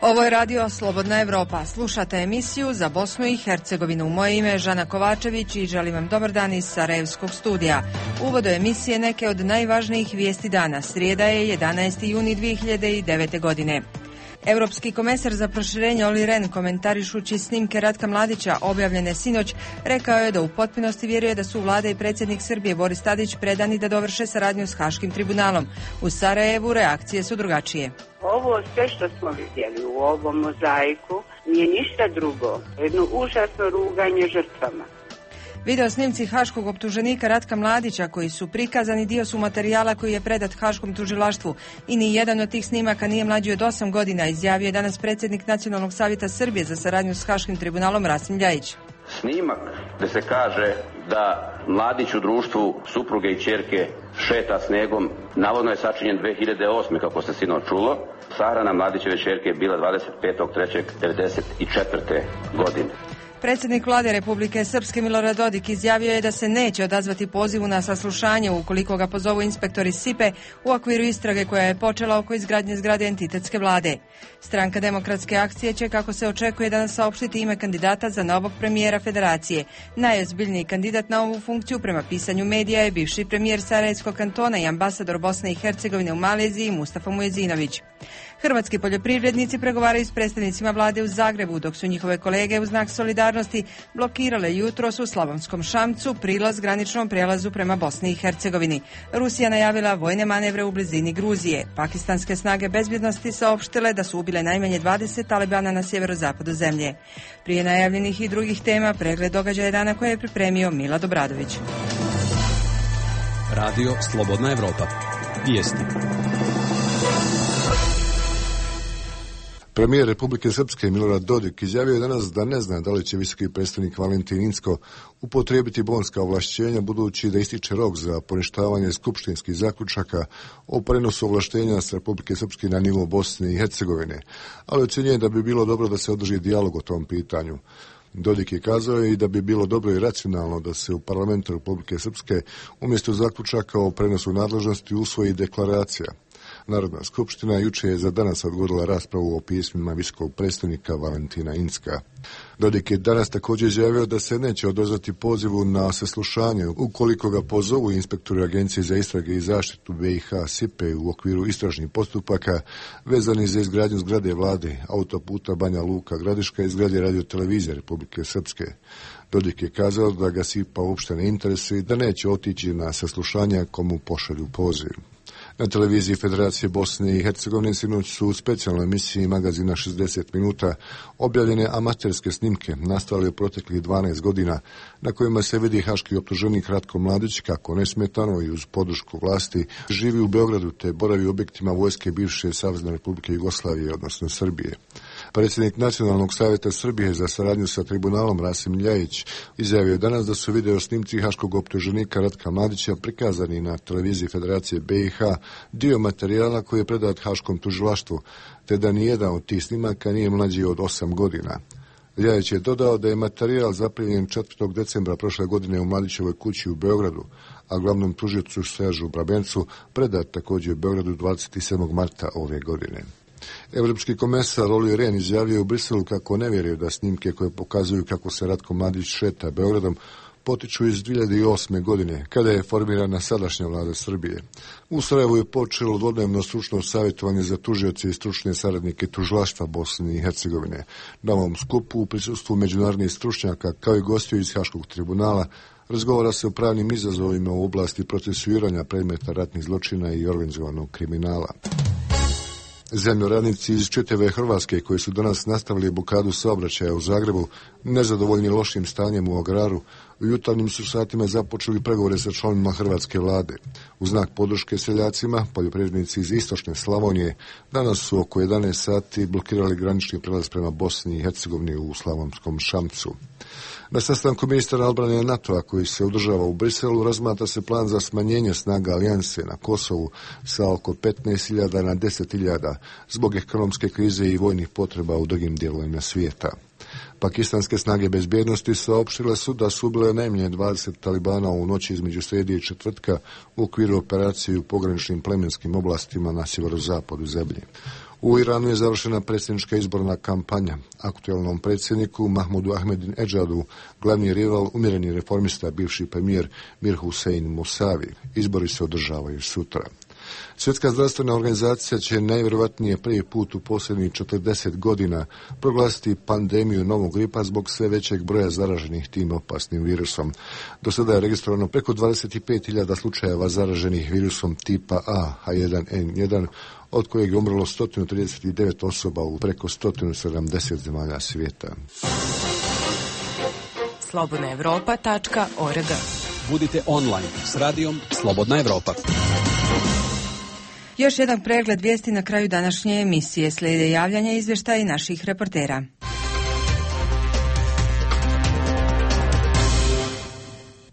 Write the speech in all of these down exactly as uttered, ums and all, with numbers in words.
Ovo je radio Slobodna Evropa. Slušate emisiju za Bosnu i Hercegovinu. Moje ime je Žana Kovačević i želim vam dobar dan iz Sarajevskog studija. Uvod do emisije neke od najvažnijih vijesti dana. Srijeda je jedanaesti juni dvije hiljade devete. godine. Europski komesar za proširenje Olli Rehn, komentarišući snimke Ratka Mladića objavljene sinoć, rekao je da u potpunosti vjeruje da su vlada i predsjednik Srbije Boris Tadić predani da dovrše saradnju s Haškim tribunalom. U Sarajevu reakcije su drugačije. Ovo sve što smo vidjeli u ovom mozaiku nije ništa drugo, jedno užasno ruganje žrtvama. Video snimci haškog optuženika Ratka Mladića koji su prikazani dio su materijala koji je predat Haškom tužilaštvu i ni jedan od tih snimaka nije mlađi od osam godina, izjavio je danas predsjednik Nacionalnog savjeta Srbije za saradnju s Haškim tribunalom Rasim Ljajić. Snimak gdje se kaže da Mladić u društvu supruge i ćerke šeta snegom, navodno je sačinjen dvije hiljade osme. kako se sinoć čulo. Sahrana Mladićeve ćerke je bila dvadeset petog trećeg devedeset četvrte. godine. Predsjednik vlade Republike Srpske Milorad Dodik izjavio je da se neće odazvati pozivu na saslušanje ukoliko ga pozovu inspektori S I P E u okviru istrage koja je počela oko izgradnje zgrade entitetske vlade. Stranka Demokratske akcije će, kako se očekuje, danas saopštiti ime kandidata za novog premijera federacije. Najozbiljniji kandidat na ovu funkciju prema pisanju medija je bivši premijer Sarajevskog kantona i ambasador Bosne i Hercegovine u Maleziji Mustafa Mujezinović. Hrvatski poljoprivrednici pregovaraju s predstavnicima vlade u Zagrebu, dok su njihove kolege u znak solidarnosti blokirale jutros u Slavonskom Šamcu prilaz graničnom prijelazu prema Bosni i Hercegovini. Rusija najavila vojne manevre u blizini Gruzije. Pakistanske snage bezbjednosti saopštile da su ubile najmanje dvadeset talibana na sjeverozapadu zemlje. Prije najavljenih i drugih tema, pregled događaja dana koje je pripremio Milad Obradović. Radio Slobodna Evropa. Vijesti. Premijer Republike Srpske Milorad Dodik izjavio je danas da ne zna da li će visoki predstavnik Valentin Incko upotrijebiti bonska ovlašćenja, budući da ističe rok za poništavanje skupštinskih zaključaka o prenosu ovlaštenja s Republike Srpske na nivo Bosne i Hercegovine, ali ocjenjuje da bi bilo dobro da se održi dijalog o tom pitanju. Dodik je kazao i da bi bilo dobro i racionalno da se u parlamentu Republike Srpske umjesto zaključaka o prenosu nadležnosti usvoji deklaracija. Narodna skupština juče je za danas odgodila raspravu o pismima visokog predstavnika Valentina Incka. Dodik je danas također izjavio da se neće odazvati pozivu na saslušanje ukoliko ga pozovu inspektori Agencije za istrage i zaštitu B i H S I P E u okviru istražnih postupaka vezani za izgradnju zgrade vlade, autoputa Banja Luka Gradiška i zgrade radiotelevizije Republike Srpske. Dodik je kazao da ga S I P A uopšte ne interesuje i da neće otići na saslušanja komu pošalju poziv. Na televiziji Federacije Bosne i Hercegovine sinoć su u specijalnoj emisiji magazina šezdeset minuta objavljene amaterske snimke nastale u proteklih dvanaest godina na kojima se vidi haški optuženik Ratko Mladić kako nesmetano i uz podršku vlasti živi u Beogradu te boravi u objektima vojske bivše Savezne Republike Jugoslavije, odnosno Srbije. Predsjednik Nacionalnog savjeta Srbije za saradnju sa tribunalom Rasim Ljajić izjavio je danas da su video snimci haškog optuženika Ratka Mladića prikazani na televiziji Federacije B i H dio materijala koji je predat Haškom tužilaštvu, te da nijedan od tih snimaka nije mlađi od osam godina. Ljajić je dodao da je materijal zaplijenjen četvrtog decembra prošle godine u Mladićevoj kući u Beogradu, a glavnom tužiocu Seržu Brabencu predat također u Beogradu dvadeset sedmog marta ove godine. Evropski komesar Olli Rehn izjavio u Briselu kako ne vjeruje da snimke koje pokazuju kako se Ratko Mladić šeta Beogradom potiču iz dvije hiljade osme. godine, kada je formirana sadašnja vlada Srbije. U Sarajevu je počelo dvodnevno stručno savjetovanje za tužioce i stručne saradnike tužilaštva Bosne i Hercegovine. Na ovom skupu u prisustvu međunarodnih stručnjaka kao i gostiju iz Haškog tribunala razgovara se o pravnim izazovima u oblasti procesuiranja predmeta ratnih zločina i organizovanog kriminala. Zemljoradnici iz čitave Hrvatske koji su danas nastavili blokadu saobraćaja u Zagrebu, nezadovoljni lošim stanjem u agraru, u jutarnjim su satima započeli pregovore sa članovima hrvatske vlade. U znak podrške seljacima, poljoprivrednici iz istočne Slavonije danas su oko jedanaest sati blokirali granični prelaz prema Bosni i Hercegovini u Slavonskom Šamcu. Na sastanku ministara odbrane NATO-a koji se održava u Briselu razmatra se plan za smanjenje snaga alijanse na Kosovu sa oko petnaest hiljada na deset hiljada zbog ekonomske krize i vojnih potreba u drugim dijelovima svijeta. Pakistanske snage bezbjednosti saopštile su da su ubile najmanje dvadeset talibana u noći između srijede i četvrtka u okviru operacije u pograničnim plemenskim oblastima na sjeverozapadu zemlje. U Iranu je završena predsjednička izborna kampanja. Aktualnom predsjedniku Mahmudu Ahmadinejadu glavni rival umjereni reformista, bivši premijer Mir Hussein Musavi. Izbori se održavaju sutra. Svjetska zdravstvena organizacija će najvjerojatnije prvi put u posljednjih četrdeset godina proglasiti pandemiju novog gripa zbog sve većeg broja zaraženih tim opasnim virusom. Do sada je registrovano preko dvadeset pet hiljada slučajeva zaraženih virusom tipa A H jedan N jedan, od kojeg je umrlo sto trideset devet osoba u preko sto sedamdeset zemalja svijeta. slobodna europa tačka org. Budite online s radijom Slobodna Evropa. Još jedan pregled vijesti na kraju današnje emisije. Slijede javljanja i izvještaji naših reportera.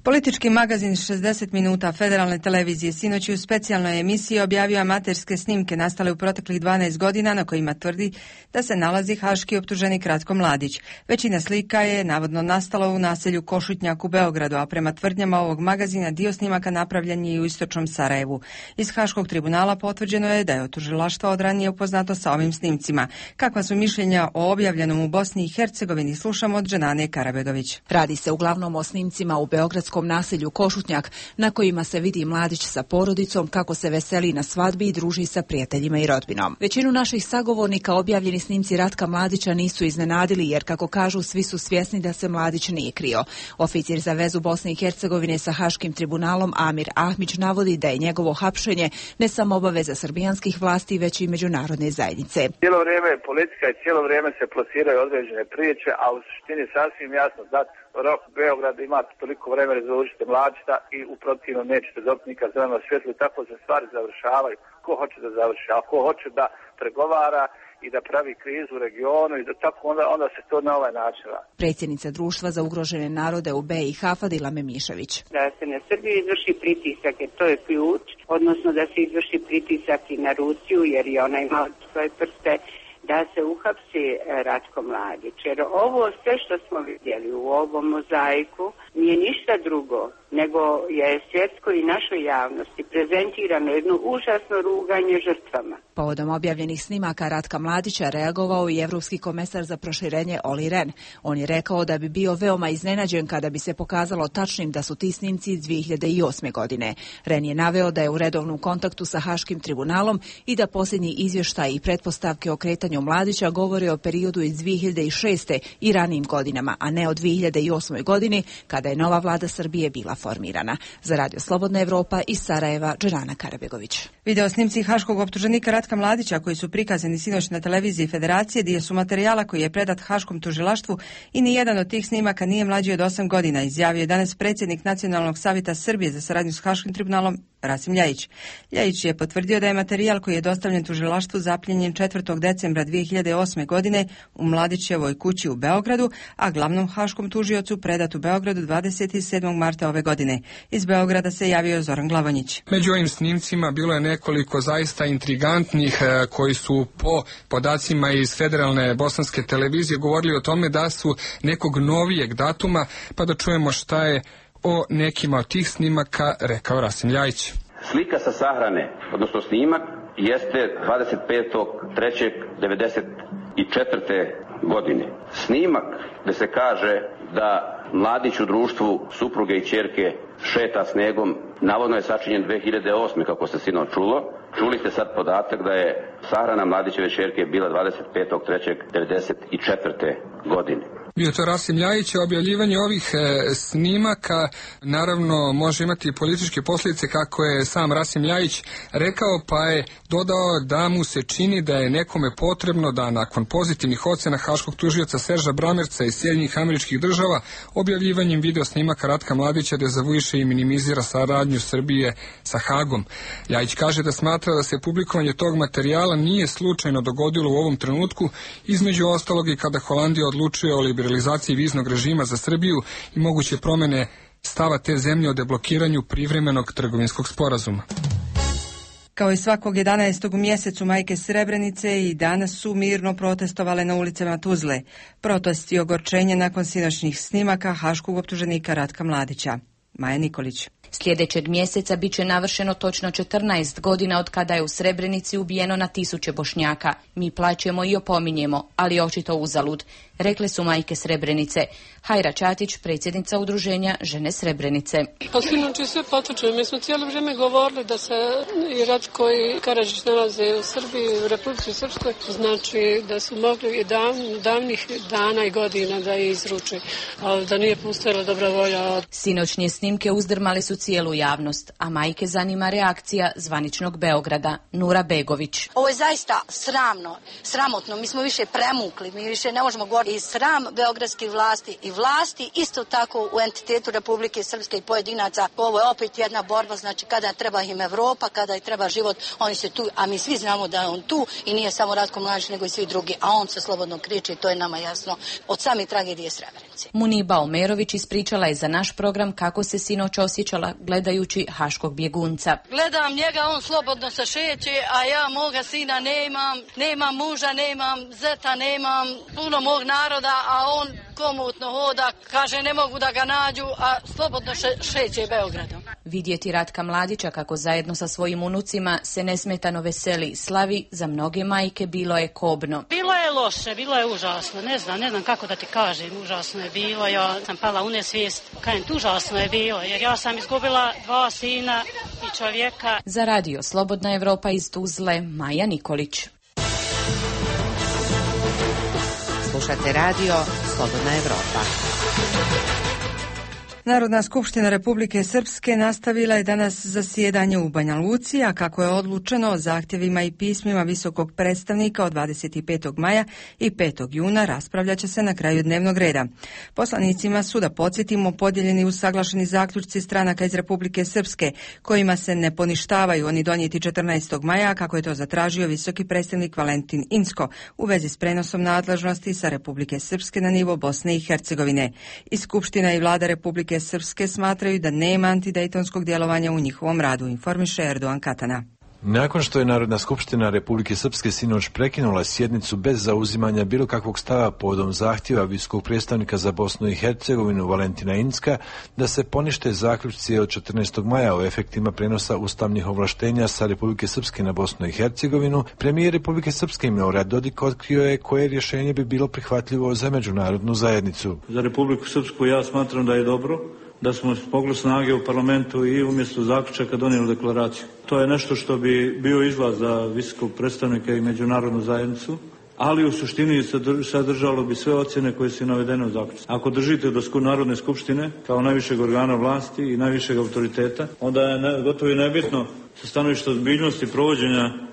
Politički magazin šezdeset minuta Federalne televizije sinoć u specijalnoj emisiji objavio amaterske snimke nastale u proteklih dvanaest godina na kojima tvrdi da se nalazi haški optuženik Ratko Mladić. Većina slika je navodno nastala u naselju Košutnjak u Beogradu, a prema tvrdnjama ovog magazina dio snimaka napravljen je i u istočnom Sarajevu. Iz Haškog tribunala potvrđeno je da je tužilaštvo od ranije upoznato sa ovim snimcima. Kakva su mišljenja o objavljenom u Bosni i Hercegovini, slušamo od Dženane Karabegović. Radi se uglavnom o snimcima u beogradskom naselju Košutnjak, na kojima se vidi mladić sa porodicom kako se veseli na svadbi i druži sa prijateljima i rodbinom. Većinu naših sagovornika objavljeni snimci Ratka Mladića nisu iznenadili, jer kako kažu svi su svjesni da se Mladić nije krio. Oficir za vezu Bosne i Hercegovine sa Haškim tribunalom Amir Ahmić navodi da je njegovo hapšenje ne samo obaveza srbijanskih vlasti, već i međunarodne zajednice. Cijelo vrijeme je politika i cijelo vrijeme se plasiraju određene priče, a u suštini sasvim jasno dat rok Beograd ima toliko vremena da završite Mladića i u protivnom nećete dobiti nikad zeleno svjetlo i tako se stvari završavaju. Ko hoće da završi, a ko hoće da pregovara i da pravi krizu u regionu i da tako onda, onda se to na ovaj način radi. Predsjednica društva za ugrožene narode u B i H Fadila Memišević. Da se na Srbiju izvrši pritisak, jer to je ključ, odnosno da se izvrši pritisak i na Rusiju, jer i ona ima svoje prste, da se uhapsi Ratko Mladić. Jer ovo sve što smo vidjeli u ovom mozaiku nije ništa drugo, nego je svjetskoj i našoj javnosti prezentirano jedno užasno ruganje žrtvama. Povodom objavljenih snimaka Ratka Mladića reagovao i Evropski komesar za proširenje Olli Rehn. On je rekao da bi bio veoma iznenađen kada bi se pokazalo tačnim da su ti snimci iz dvije hiljade osme. godine. Rehn je naveo da je u redovnom kontaktu sa Haškim tribunalom i da posljednji izvještaj i pretpostavke o kretanju Mladića govore o periodu iz dvije hiljade šeste. i ranijim godinama, a ne o dvije hiljade osmoj. godini kada je nova vlada Srbije bila formirana. Za Radio Slobodna Evropa iz Sarajeva, Dženana Karabegović. Video snimci haškog optuženika Ratka Mladića koji su prikazani sinoć na televiziji Federacije dio su materijala koji je predat Haškom tužilaštvu i ni jedan od tih snimaka nije mlađi od osam godina, izjavio je danas predsjednik Nacionalnog savjeta Srbije za saradnju s Haškim tribunalom Rasim Ljajić. Ljajić je potvrdio da je materijal koji je dostavljen tužilaštvu zapljenjen četvrtog decembra dvije hiljade osme. godine u Mladićevoj kući u Beogradu, a glavnom haškom tužiocu predat u Beogradu dvadeset sedmog marta ove godine. Iz Beograda se javio Zoran Glavonjić. Među ovim snimcima bilo je nekoliko zaista intrigantnih koji su po podacima iz Federalne bosanske televizije govorili o tome da su nekog novijeg datuma, pa da čujemo šta je o nekima od tih snimaka rekao Rasim Ljajić. Slika sa sahrane, odnosno snimak, jeste dvadeset petog trećeg devedeset četvrte. godine. Snimak gde se kaže da Mladić u društvu supruge i ćerke šeta snegom, navodno je sačinjen dvije hiljade osme. kako se sinoć čulo. Čuli ste sad podatak da je sahrana Mladićeve ćerke bila dvadeset petog trećeg devedeset četvrte. godine. Bio to Rasim Ljajić. Objavljivanje ovih e, snimaka naravno može imati političke posljedice, kako je sam Rasim Ljajić rekao, pa je dodao da mu se čini da je nekome potrebno da nakon pozitivnih ocjena haškog tužioca Serža Bramerca iz Sjedinjenih Američkih Država objavljivanjem video snimaka Ratka Mladića dezavuiše i minimizira saradnju Srbije sa Hagom. Ljajić kaže da smatra da se publikovanje tog materijala nije slučajno dogodilo u ovom trenutku, između ostalog i kada Holandija odlučuje o liberalizaciji viznog režima za Srbiju i moguće promjene stava te zemlje o deblokiranju privremenog trgovinskog sporazuma. Kao i svakog jedanaestog u mjesecu, majke Srebrenice i danas su mirno protestovale na ulicama Tuzle. Protest i ogorčenje nakon sinoćnih snimaka haškog optuženika Ratka Mladića. Maja Nikolić. Sljedećeg mjeseca bit će navršeno točno četrnaest godina od kada je u Srebrenici ubijeno na tisuće Bošnjaka. Mi plaćemo i opominjemo, ali očito uzalud, rekle su majke Srebrenice. Hajra Čatić, predsjednica udruženja Žene Srebrenice. Pa sinoć sve potvrđuje. Mi smo cijelo vrijeme govorili da se i Ratko i Karadžić nalaze u Srbiji, u Republici Srpskoj, znači da su mogli i dav, davnih dana i godina da je izruče, ali da nije postojala dobra volja. Sinoćnje snimke uzdrmali su cijelu javnost, a majke zanima reakcija zvaničnog Beograda. Nura Begović. Ovo je zaista sramno, sramotno. Mi smo više premukli, mi više ne možemo govoriti. I sram beogradskih vlasti i vlasti isto tako u entitetu Republike Srpske i pojedinaca. Ovo je opet jedna borba, znači kada treba im Evropa, kada im treba život, oni se tu, a mi svi znamo da je on tu i nije samo Ratko Mladić nego i svi drugi, a on se slobodno kriči, to je nama jasno od same tragedije Srebrenice. Muniba Omerović ispričala je za naš program kako se sinoć osjećala gledajući haškog bjegunca. Gledam njega, on slobodno se šeće, a ja moga sina nemam, nemam muža, nemam zeta, nemam puno mog naroda, a on komotno hoda, kaže ne mogu da ga nađu, a slobodno še, šeće Beogradom. Vidjeti Ratka Mladića kako zajedno sa svojim unucima se nesmetano veseli i slavi, za mnoge majke bilo je kobno. Bilo je loše, bilo je užasno, ne znam, ne znam kako da ti kažem, užasno je bilo, ja sam pala u nesvijest, kajem, užasno je bilo, jer ja sam izgubila dva sina i čovjeka. Za radio Slobodna Evropa iz Tuzle, Maja Nikolić. Slušate radio Slobodna Evropa. Narodna skupština Republike Srpske nastavila je danas zasjedanje u Banja Luci, a kako je odlučeno o zahtjevima i pismima visokog predstavnika od dvadeset petog maja i petog juna raspravljat će se na kraju dnevnog reda. Poslanicima su, da podsjetimo, podijeljeni usaglašeni zaključci stranaka iz Republike Srpske, kojima se ne poništavaju oni donijeti četrnaestog maja, kako je to zatražio visoki predstavnik Valentin Incko u vezi s prenosom nadležnosti sa Republike Srpske na nivo Bosne i Hercegovine. I Skupština i Vlada Republike Srpske smatraju da nema antidejtonskog djelovanja u njihovom radu, informiše Erdogan Katana. Nakon što je Narodna skupština Republike Srpske sinoć prekinula sjednicu bez zauzimanja bilo kakvog stava povodom zahtjeva visokog predstavnika za Bosnu i Hercegovinu Valentina Incka da se ponište zaključci od četrnaestog maja o efektima prenosa ustavnih ovlaštenja sa Republike Srpske na Bosnu i Hercegovinu, premijer Republike Srpske Milorad Dodik otkrio je koje rješenje bi bilo prihvatljivo za međunarodnu zajednicu. Za Republiku Srpsku ja smatram da je dobro da smo spogli snage u parlamentu i umjesto zaključaka donijeli deklaraciju. To je nešto što bi bio izlaz za visokog predstavnika i međunarodnu zajednicu, ali u suštini sadržalo bi sve ocjene koje su navedene u zaključku. Ako držite do Narodne skupštine kao najvišeg organa vlasti i najvišeg autoriteta, onda je ne, gotovo i nebitno sa stanovišta ozbiljnosti provođenja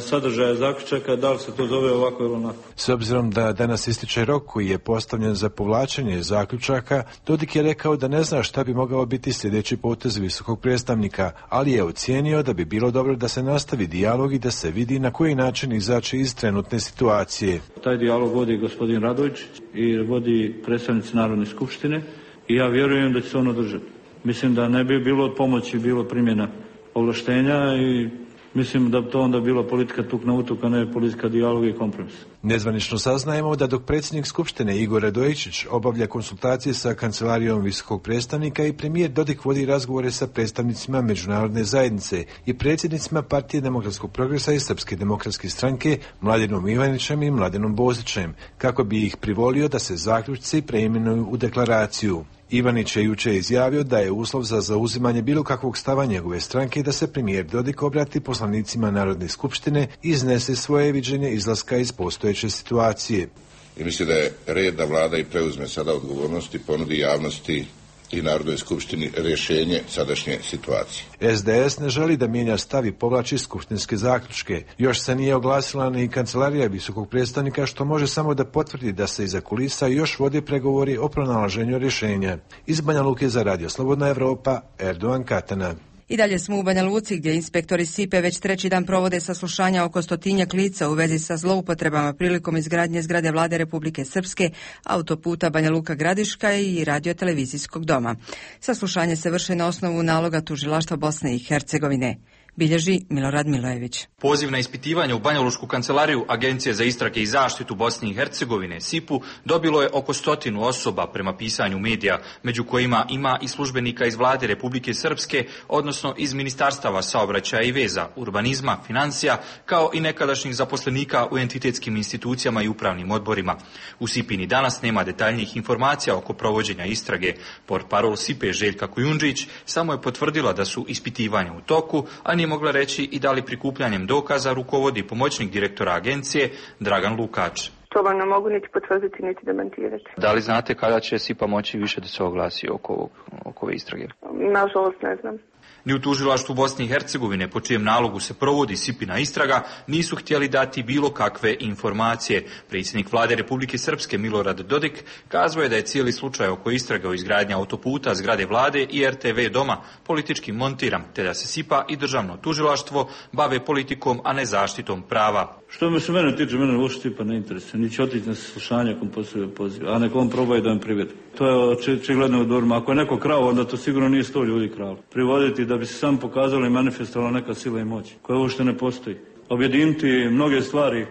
sadržaja zaključaka, da li se to zove ovako ili onako. S obzirom da danas ističe rok koji je postavljen za povlačenje zaključaka, Dodik je rekao da ne zna šta bi mogao biti sljedeći potez visokog predstavnika, ali je ocijenio da bi bilo dobro da se nastavi dijalog i da se vidi na koji način izaći iz trenutne situacije. Taj dijalog vodi gospodin Radović i vodi predstavnici Narodne skupštine i ja vjerujem da će se on održati. Mislim da ne bi bilo od pomoći bilo primjena ovlaštenja i mislim da to onda bila politika tuk na utuk, a ne politika dijaloga i kompromisa. Nezvanično saznajemo da dok predsjednik Skupštine Igor Radojičić obavlja konsultacije sa kancelarijom visokog predstavnika i premijer Dodik vodi razgovore sa predstavnicima međunarodne zajednice i predsjednicima Partije demokratskog progresa i Srpske demokratske stranke Mladenom Ivanićem i Mladenom Bozićem, kako bi ih privolio da se zaključci preimenuju u deklaraciju. Ivanić je jučer izjavio da je uslov za zauzimanje bilo kakvog stava njegove stranke da se premijer Dodik obrati poslanicima Narodne skupštine i iznese svoje viđenje izlaska iz postojeće situacije. I mislim da je red da vlada i preuzme sada odgovornosti, ponudi javnosti i Narodnoj skupštini rješenje sadašnje situacije. S D S ne želi da mijenja stav i povlači skupštinske zaključke. Još se nije oglasila ni kancelarija visokog predstavnika, što može samo da potvrdi da se iza kulisa još vode pregovori o pronalaženju rješenja. Iz Banja Luke za radio Slobodna Evropa, Erdogan Katana. I dalje smo u Banja Luci, gdje inspektori S I P E već treći dan provode saslušanja oko stotinjak lica u vezi sa zloupotrebama prilikom izgradnje zgrade Vlade Republike Srpske, autoputa Banja Luka Gradiška i radiotelevizijskog doma. Saslušanje se vrše na osnovu naloga tužilaštva Bosne i Hercegovine. bilježi Milorad Milojević. Poziv na ispitivanje u Banjalučku kancelariju Agencije za istrage i zaštitu Bosne i Hercegovine S I P-u dobilo je oko stotinu osoba prema pisanju medija, među kojima ima i službenika iz vlade Republike Srpske, odnosno iz ministarstava saobraćaja i veza, urbanizma, financija, kao i nekadašnjih zaposlenika u entitetskim institucijama i upravnim odborima. U S I P-i ni danas nema detaljnijih informacija oko provođenja istrage. Portparol S I P-e Željka Kujundžić samo je potvrdila da su ispitivanja u toku, a nije mogla reći i da li prikupljanjem dokaza rukovodi pomoćnik direktora agencije Dragan Lukač. To vam ne mogu niti potvrditi, niti demantirati. Da li znate kada će S I P-a moći više da se oglasi oko, ovog, oko ove istrage? Nažalost ne znam. Ni u tužilaštvu Bosne i Hercegovine, po čijem nalogu se provodi S I P-ina istraga, nisu htjeli dati bilo kakve informacije. Predsjednik vlade Republike Srpske Milorad Dodik kazao je da je cijeli slučaj oko istrage o izgradnji autoputa, zgrade vlade i R T V doma politički montiran, te da se S I P-a i državno tužilaštvo bave politikom, a ne zaštitom prava. Što me se mene tiče, mene uopšte S I P-a ne interesuje, ni će otići na saslušanje ako postoje poziv, a neko on probaju da me privede. To je očigledno odorma. Ako je neko krao, onda to sigurno nije sto ljudi kralo. Privoditi da bi se sam pokazalo i manifestovalo neka sila i moć, koja uopšte ne postoji. Objediniti mnoge stvari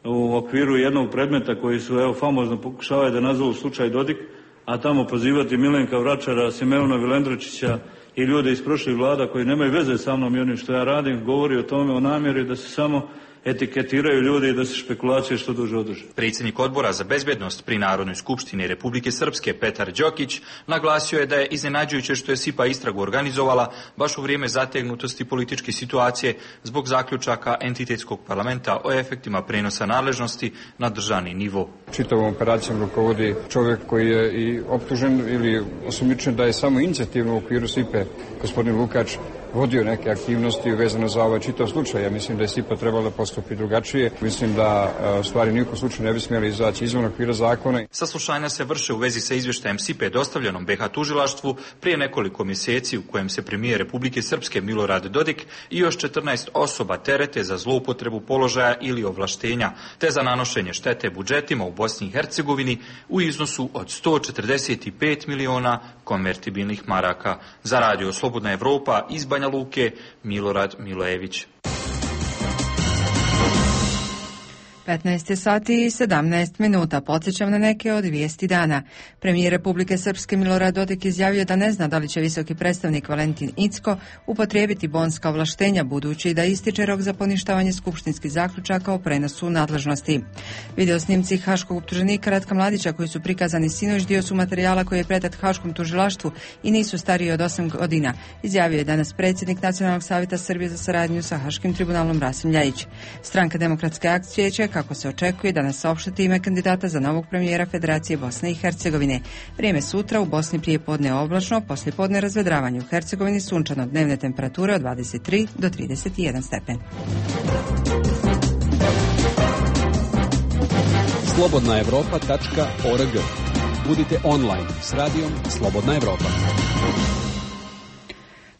u okviru jednog predmeta koji su, evo, famozno pokušavaju da nazovu slučaj Dodik, a tamo pozivati Milenka Vračara, Simeona Vilendročića i ljude iz prošlih vlada koji nemaju veze sa mnom i onim što ja radim, govori o tome, o namjeri da se samo etiketiraju ljudi i da se špekulacije što duže održe. Predsjednik odbora za bezbednost pri Narodnoj skupštini Republike Srpske Petar Đokić naglasio je da je iznenađujuće što je S I P-a istragu organizovala baš u vrijeme zategnutosti političke situacije zbog zaključaka entitetskog parlamenta o efektima prenosa nadležnosti na državni nivo. Čitavom operacijom rukovodi čovjek koji je i optužen ili osumnjičen da je samo inicijativno u okviru S I P-e, gospodin Lukač, vodio neke aktivnosti vezano za ovaj čitav slučaj. Ja mislim da je S I P-a trebala postupiti drugačije. Mislim da stvari nijekom slučaju ne bi smjeli izaći izvan okvira zakona. Saslušanja se vrše u vezi sa izvještajem S I P-e dostavljenom B H tužilaštvu prije nekoliko mjeseci, u kojem se premijer Republike Srpske Milorad Dodik i još četrnaest osoba terete za zloupotrebu položaja ili ovlaštenja, te za nanošenje štete budžetima u Bosni i Hercegovini u iznosu od sto četrdeset pet miliona konvertibilnih maraka. Za Radio Slobodna Evropa iz Banja Luke, Milorad Milojević. petnaest sati i sedamnaest minuta. Podsjećam na neke od vijesti dana. Premijer Republike Srpske Milorad Dodik izjavio da ne zna da li će visoki predstavnik Valentin Incko upotrijebiti bonska ovlaštenja, budući da ističe rok za poništavanje skupštinskih zaključaka o prenosu nadležnosti. Video snimci haškog optuženika Ratka Mladića koji su prikazani sinoć dio su materijala koji je predat Haškom tužilaštvu i nisu stariji od osam godina, izjavio je danas predsjednik Nacionalnog savjeta Srbije za saradnju sa Haškim tribunalom Rasim Ljajić. Stranka Demokratske akcije će, kako se očekuje, danas saopštiti ime kandidata za novog premijera Federacije Bosne i Hercegovine. Vrijeme sutra u Bosni prije podne oblačno, poslije podne razvedravanje, u Hercegovini sunčano, dnevne temperature od dvadeset tri do trideset jedan stepen. slobodna evropa tačka org. Budite online s radijom Slobodna Evropa.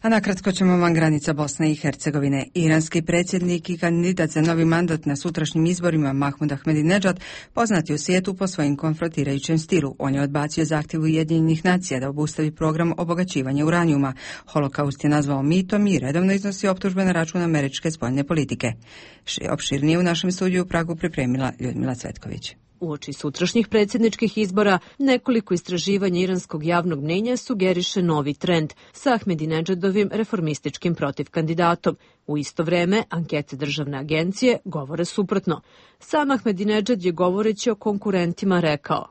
A nakratko ćemo vam granica Bosne i Hercegovine. Iranski predsjednik i kandidat za novi mandat na sutrašnjim izborima Mahmud Ahmadinejad poznat je u svijetu po svojim konfrontirajućem stilu. On je odbacio zahtjev Ujedinjenih nacija da obustavi program obogaćivanja uranijuma. Holokaust je nazvao mitom i redovno iznosi optužbe na račun američke spoljne politike. Opširnije u našem studiju u Pragu pripremila Ljudmila Cvetković. Uoči sutrašnjih predsjedničkih izbora, nekoliko istraživanja iranskog javnog mnjenja sugeriše novi trend sa Ahmadinejadovim reformističkim protivkandidatom. U isto vreme, ankete državne agencije govore suprotno. Sam Ahmadinejad je govoreći o konkurentima rekao: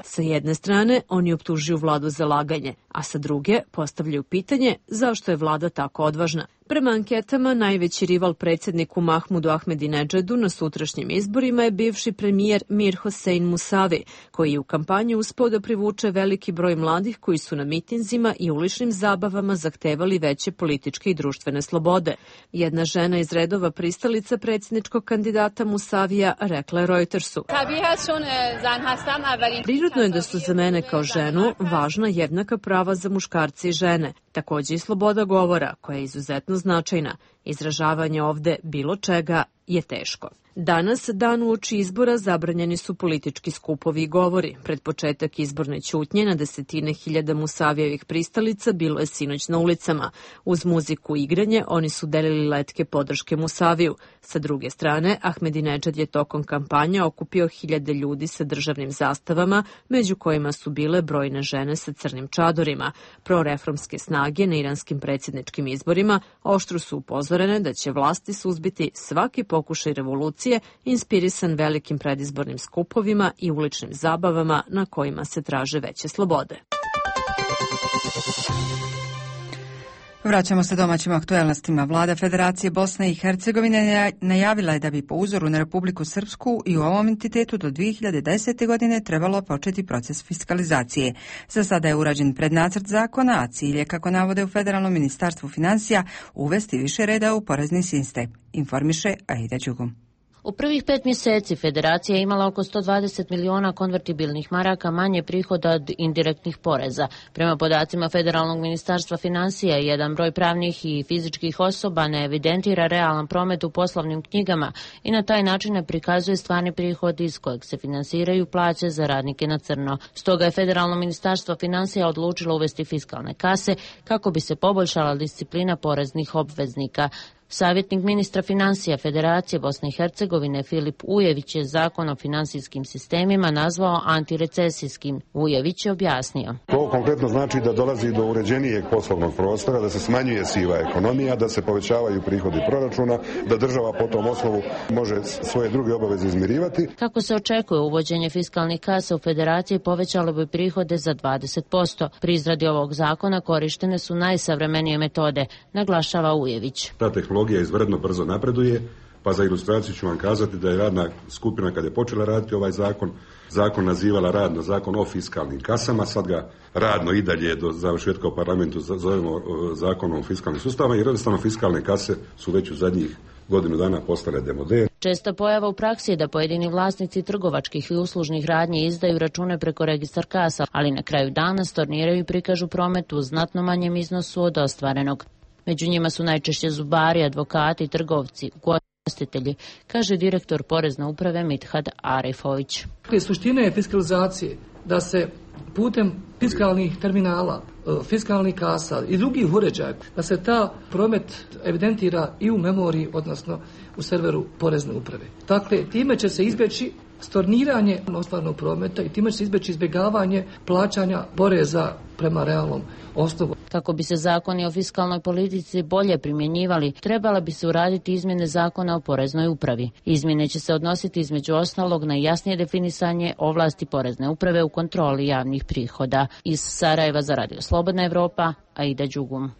sa jedne strane, oni optužuju vladu za laganje, a sa druge postavljaju pitanje zašto je vlada tako odvažna. Prema anketama, najveći rival predsjedniku Mahmudu Ahmadinejadu na sutrašnjim izborima je bivši premijer Mir Hossein Musavi, koji je u kampanji uspeo da privuče veliki broj mladih koji su na mitinzima i uličnim zabavama zahtevali veće političke i društvene slobode. Jedna žena iz redova pristalica predsjedničkog kandidata Musavija rekla je Reutersu: prirodno je da su za mene kao ženu važna jednaka prava za muškarce i žene, također i sloboda govora, koja je izuzetno značajna. Izražavanje ovde bilo čega je teško. Danas, dan uoči izbora, zabranjeni su politički skupovi i govori. Pred početak izborne ćutnje na desetine hiljada Musavijevih pristalica bilo je sinoć na ulicama. Uz muziku i igranje oni su delili letke podrške Musaviju. Sa druge strane, Ahmedinedžad je tokom kampanje okupio hiljade ljudi sa državnim zastavama, među kojima su bile brojne žene sa crnim čadorima. Proreformske snage na iranskim predsjedničkim izborima oštro su upozorene da će vlasti suzbiti svaki pokušaj revolucije inspirisan velikim predizbornim skupovima i uličnim zabavama na kojima se traže veće slobode. Vraćamo se domaćim aktuelnostima. Vlada Federacije Bosne i Hercegovine najavila je da bi po uzoru na Republiku Srpsku i u ovom entitetu do dvije hiljade desete. godine trebalo početi proces fiskalizacije. Za sada je urađen prednacrt zakona, a cilj je, kako navode u Federalnom ministarstvu financija, uvesti više reda u porezni sistem, informiše Aida Đugum. U prvih pet mjeseci Federacija je imala oko sto dvadeset miliona konvertibilnih maraka manje prihoda od indirektnih poreza. Prema podacima Federalnog ministarstva financija, jedan broj pravnih i fizičkih osoba ne evidentira realan promet u poslovnim knjigama i na taj način ne prikazuje stvarni prihod iz kojeg se finansiraju plaće za radnike na crno. Stoga je Federalno ministarstvo financija odlučilo uvesti fiskalne kase kako bi se poboljšala disciplina poreznih obveznika. Savjetnik ministra financija Federacije Bosne i Hercegovine Filip Ujević je zakon o finansijskim sistemima nazvao antirecesijskim. Ujević je objasnio. To konkretno znači da dolazi do uređenijeg poslovnog prostora, da se smanjuje siva ekonomija, da se povećavaju prihodi proračuna, da država po tom osnovu može svoje druge obaveze izmirivati. Kako se očekuje, uvođenje fiskalnih kasa u Federaciji povećalo bi prihode za dvadeset posto. Pri izradi ovog zakona korištene su najsavremenije metode, naglašava Ujević. Ta tehnologija izvredno brzo napreduje, pa za ilustraciju ću vam kazati da je radna skupina, kad je počela raditi ovaj zakon, zakon nazivala radno zakon o fiskalnim kasama, sad ga radno i dalje do završetka u parlamentu zovemo zakonom o fiskalnim sustavima, jer jednostavno fiskalne kase su već u zadnjih godinu dana postale demode. Česta pojava u praksi je da pojedini vlasnici trgovačkih i uslužnih radnji izdaju račune preko registar kasa, ali na kraju dana storniraju i prikažu promet u znatno manjem iznosu od ostvarenog. Među njima su najčešće zubari, advokati, trgovci, ugostitelji, kaže direktor Porezne uprave Mithad Arifović. Suština je fiskalizacije da se putem fiskalnih terminala, fiskalnih kasa i drugih uređaja, da se ta promet evidentira i u memoriji, odnosno u serveru Porezne uprave. Dakle, time će se izbjeći storniranje ostvarenog prometa i time će se izbjeći izbjegavanje plaćanja poreza prema realnom osnovu. Kako bi se zakoni o fiskalnoj politici bolje primjenjivali, trebala bi se uraditi izmjene zakona o Poreznoj upravi. Izmjene će se odnositi između ostalog na jasnije definisanje ovlasti Porezne uprave u kontroli javnih prihoda. Iz Sarajeva za Radio Slobodna Evropa, Aida Đugum.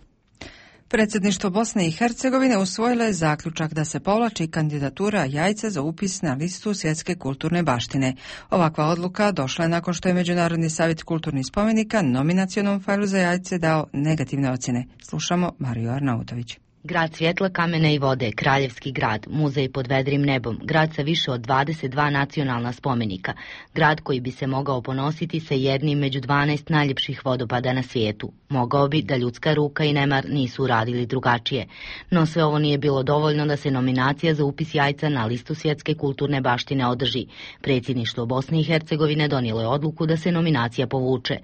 Predsjedništvo Bosne i Hercegovine usvojilo je zaključak da se povlači kandidatura Jajca za upis na listu svjetske kulturne baštine. Ovakva odluka došla je nakon što je Međunarodni savjet kulturnih spomenika nominacionom fajlu za Jajce dao negativne ocjene. Slušamo Mariju Arnautović. Grad svjetla, kamene i vode, kraljevski grad, muzej pod vedrim nebom, grad sa više od dvadeset dva nacionalna spomenika, grad koji bi se mogao ponositi sa jednim među dvanaest najljepših vodopada na svijetu. Mogao bi da ljudska ruka i nemar nisu uradili drugačije. No sve ovo nije bilo dovoljno da se nominacija za upis Jajca na listu svjetske kulturne baštine održi. Predsjedništvo Bosne i Hercegovine donijelo je odluku da se nominacija povuče.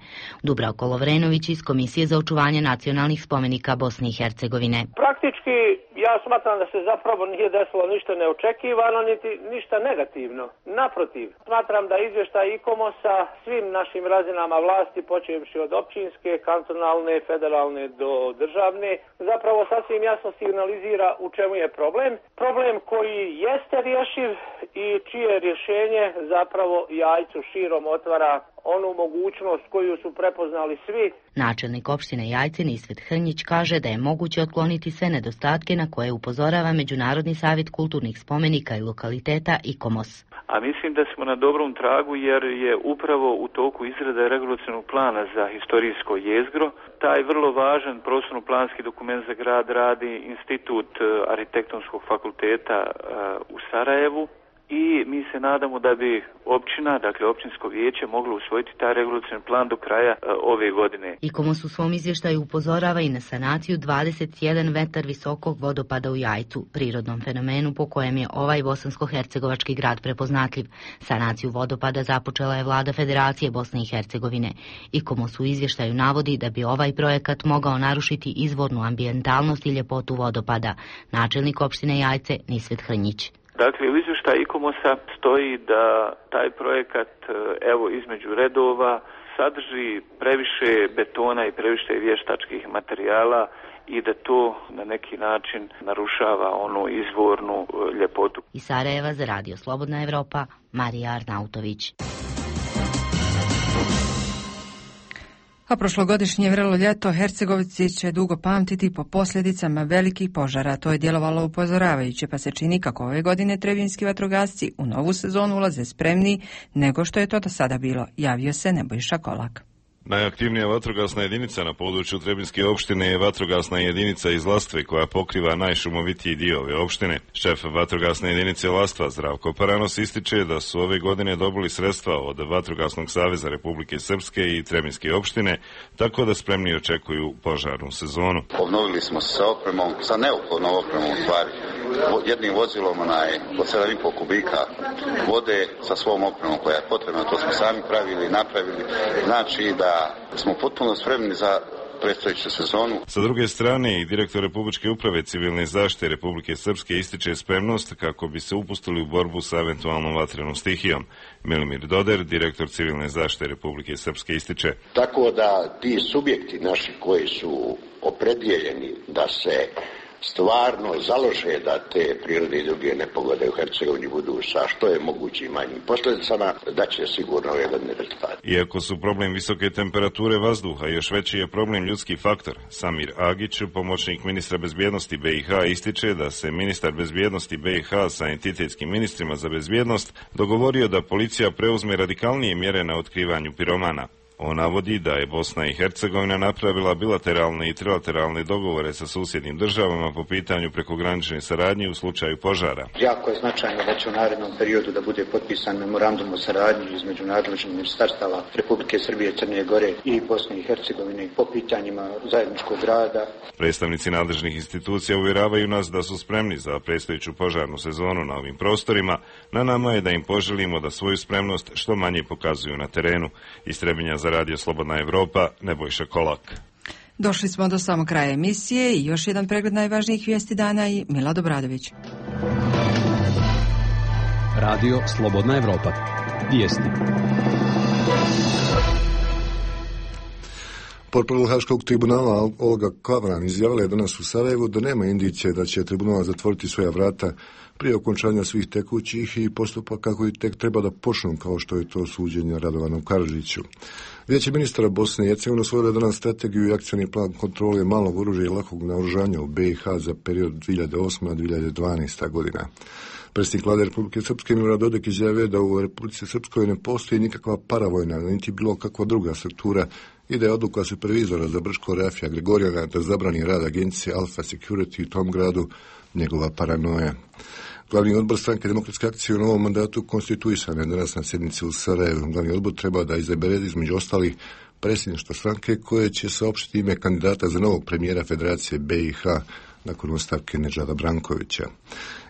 Dubravko Lovrenović iz Komisije za očuvanje nacionalnih spomenika Bosne i Hercegovine. Praktički ja smatram da se zapravo nije desilo ništa neočekivano, niti ništa negativno. Naprotiv, smatram da izvještaj ICOMOS-a svim našim razinama vlasti, počevši od općinske, kantonalne, federalne do državne, zapravo sasvim jasno signalizira u čemu je problem. Problem koji jeste rješiv i čije rješenje zapravo Jajcu širom otvara onu mogućnost koju su prepoznali svi. Načelnik opštine Jajce Nisvet Hrnjić kaže da je moguće otkloniti sve nedostatke na koje upozorava Međunarodni savjet kulturnih spomenika i lokaliteta ICOMOS. A mislim da smo na dobrom tragu jer je upravo u toku izrada regulacionog plana za historijsko jezgro. Taj vrlo važan prostorno-planski dokument za grad radi Institut arhitektonskog fakulteta u Sarajevu i mi se nadamo da bi općina, dakle općinsko vijeće, moglo usvojiti taj regulacioni plan do kraja uh, ove godine. IKOMOS u svom izvještaju upozorava i na sanaciju dvadeset jedan metar visokog vodopada u Jajcu, prirodnom fenomenu po kojem je ovaj bosansko-hercegovački grad prepoznatljiv. Sanaciju vodopada započela je vlada Federacije Bosne i Hercegovine. IKOMOS u izvještaju navodi da bi ovaj projekat mogao narušiti izvornu ambijentalnost i ljepotu vodopada. Načelnik opštine Jajce Nisvet Hrnjić. Dakle, u izvještaju IKOMOS-a stoji da taj projekat, evo, između redova, sadrži previše betona i previše vještačkih materijala i da to na neki način narušava onu izvornu ljepotu. Iz Sarajeva za Radio Slobodna Evropa, Marija Arnautović. A prošlogodišnje vrelo ljeto Hercegovci će dugo pamtiti po posljedicama velikih požara. To je djelovalo upozoravajuće, pa se čini kako ove godine trebinjski vatrogasci u novu sezonu ulaze spremniji nego što je to do sada bilo. Javio se Nebojša Kolak. Najaktivnija vatrogasna jedinica na području Trebinjske opštine je vatrogasna jedinica iz Lastve koja pokriva najšumovitiji dio ove opštine. Šef vatrogasne jedinice Lastva Zdravko Paranos ističe da su ove godine dobili sredstva od Vatrogasnog saveza Republike Srpske i Trebinjske opštine, tako da spremni očekuju požarnu sezonu. Obnovili smo se sa opremom, sa neophodnom opremom u stvari. Jednim vozilom onaj od sedam i po kubika vode sa svom opremom koja je potrebna, to smo sami pravili i napravili. Znači da smo potpuno spremni za predstojeću sezonu. Sa druge strane, i direktor Republičke uprave civilne zaštite Republike Srpske ističe spremnost kako bi se upustili u borbu sa eventualnom vatrenom stihijom. Milimir Doder, direktor civilne zaštite Republike Srpske, ističe. Tako da ti subjekti naši koji su opredijeljeni da se stvarno založe da te prirodne i druge nepogode u Hercegovini budu sa što je mogući manjim posljedicama, da će sigurno ove godine rezultati. Iako su problem visoke temperature vazduha, još veći je problem ljudski faktor. Samir Agić, pomoćnik ministra bezbjednosti B i H, ističe da se ministar bezbjednosti B i H sa entitetskim ministrima za bezbjednost dogovorio da policija preuzme radikalnije mjere na otkrivanju piromana. On navodi da je Bosna i Hercegovina napravila bilateralne i trilateralne dogovore sa susjednim državama po pitanju prekogranične saradnje u slučaju požara. Jako je značajno da će u narednom periodu da bude potpisan memorandum o saradnji između nadležnih ministarstava Republike Srbije, Crne Gore i Bosne i Hercegovine po pitanjima zajedničkog rada. Predstavnici nadležnih institucija uvjeravaju nas da su spremni za predstojeću požarnu sezonu na ovim prostorima. Na nama je da im poželimo da svoju spremnost što manje pokazuju na terenu. Iz Trebinja za Radio Slobodna Evropa, Nebojša Kolak. Došli smo do samog kraja emisije i još jedan pregled najvažnijih vijesti dana i Milad Obradović. Radio Slobodna Evropa. Vijesti. Portparol Haškog tribunala Olga Kavran izjavila je danas u Sarajevu da nema indicije da će tribunal zatvoriti svoja vrata prije okončanja svih tekućih i postupaka koji tek treba da počnu, kao što je to suđenje Radovanu Karadžiću. Vijeće ministara Bosne i Hercegovine usvojilo je danas strategiju i akcioni plan kontrole malog oružja i lakog naoružanja u B i H za period dvije hiljade osma do dvije hiljade dvanaeste. godina. Predsjednik vlade Republike Srpske Milorad Dodik izjavio da u Republici Srpskoj ne postoji nikakva paravojna, niti bilo kakva druga struktura i da je odluka supervizora za Brško Rafija Gregorijana da zabrani rad agencije Alfa Security u tom gradu njegova paranoja. Glavni odbor stranke Demokratske akcije u novom mandatu konstituisan je danas na sjednici u Sarajevu. Glavni odbor treba da izabere između ostalih predsjedništva stranke koje će saopštiti ime kandidata za novog premijera Federacije B i H nakon ostavke Nedžada Brankovića.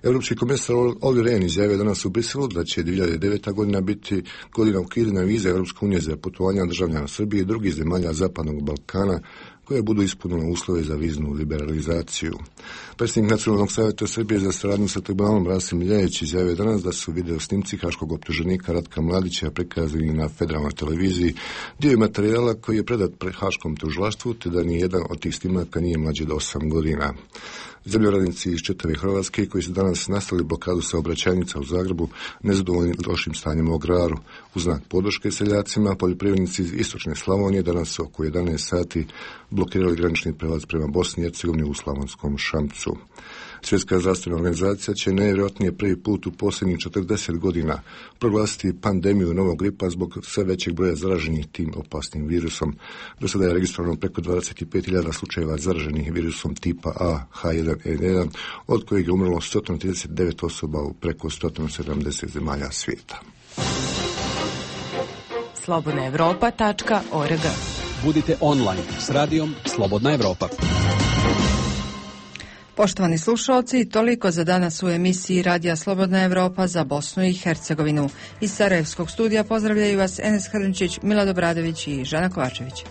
Europski komesar Olli Rehn izjavio danas u Briselu da će dvije hiljade deveta. godina biti godina ukidanja vize Europske unije za putovanja državljana Srbije i drugih zemalja Zapadnog Balkana koje budu ispunile uslove za viznu liberalizaciju. Predsjednik Nacionalnog savjeta Srbije za saradnju sa tribunalom Rasim Ljajić izjavio danas da su video snimci haškog optuženika Ratka Mladića prikazani na federalnoj televiziji dio materijala koji je predat pred haškom tužilaštvu, te da nijedan od tih snimaka nije mlađi do osam godina. Zemljoradnici iz čitave Hrvatske koji su danas nastavili blokadu saobraćajnica u Zagrebu nezadovoljni lošim stanjem u agraru. U znak podrške seljacima, poljoprivrednici iz istočne Slavonije danas su oko jedanaest sati blokirali granični prelaz prema Bosni i Hercegovini u Slavonskom Šamcu. Svjetska zdravstvena organizacija će najvjerojatnije prvi put u posljednjih četrdeset godina proglasiti pandemiju novog gripa zbog sve većeg broja zaraženih tim opasnim virusom. Do sada je registrovano preko dvadeset pet hiljada slučajeva zaraženih virusom tipa A H jedan N jedan, od kojeg je umrlo sto trideset devet osoba u preko sto sedamdeset zemalja svijeta. slobodna evropa tačka org. Budite online s radijom Slobodna Evropa. Poštovani slušalci, toliko za danas u emisiji Radija Slobodna Evropa za Bosnu i Hercegovinu. Iz Sarajevskog studija pozdravljaju vas Enes Hrnčić, Milad Obradović i Žana Kovačević.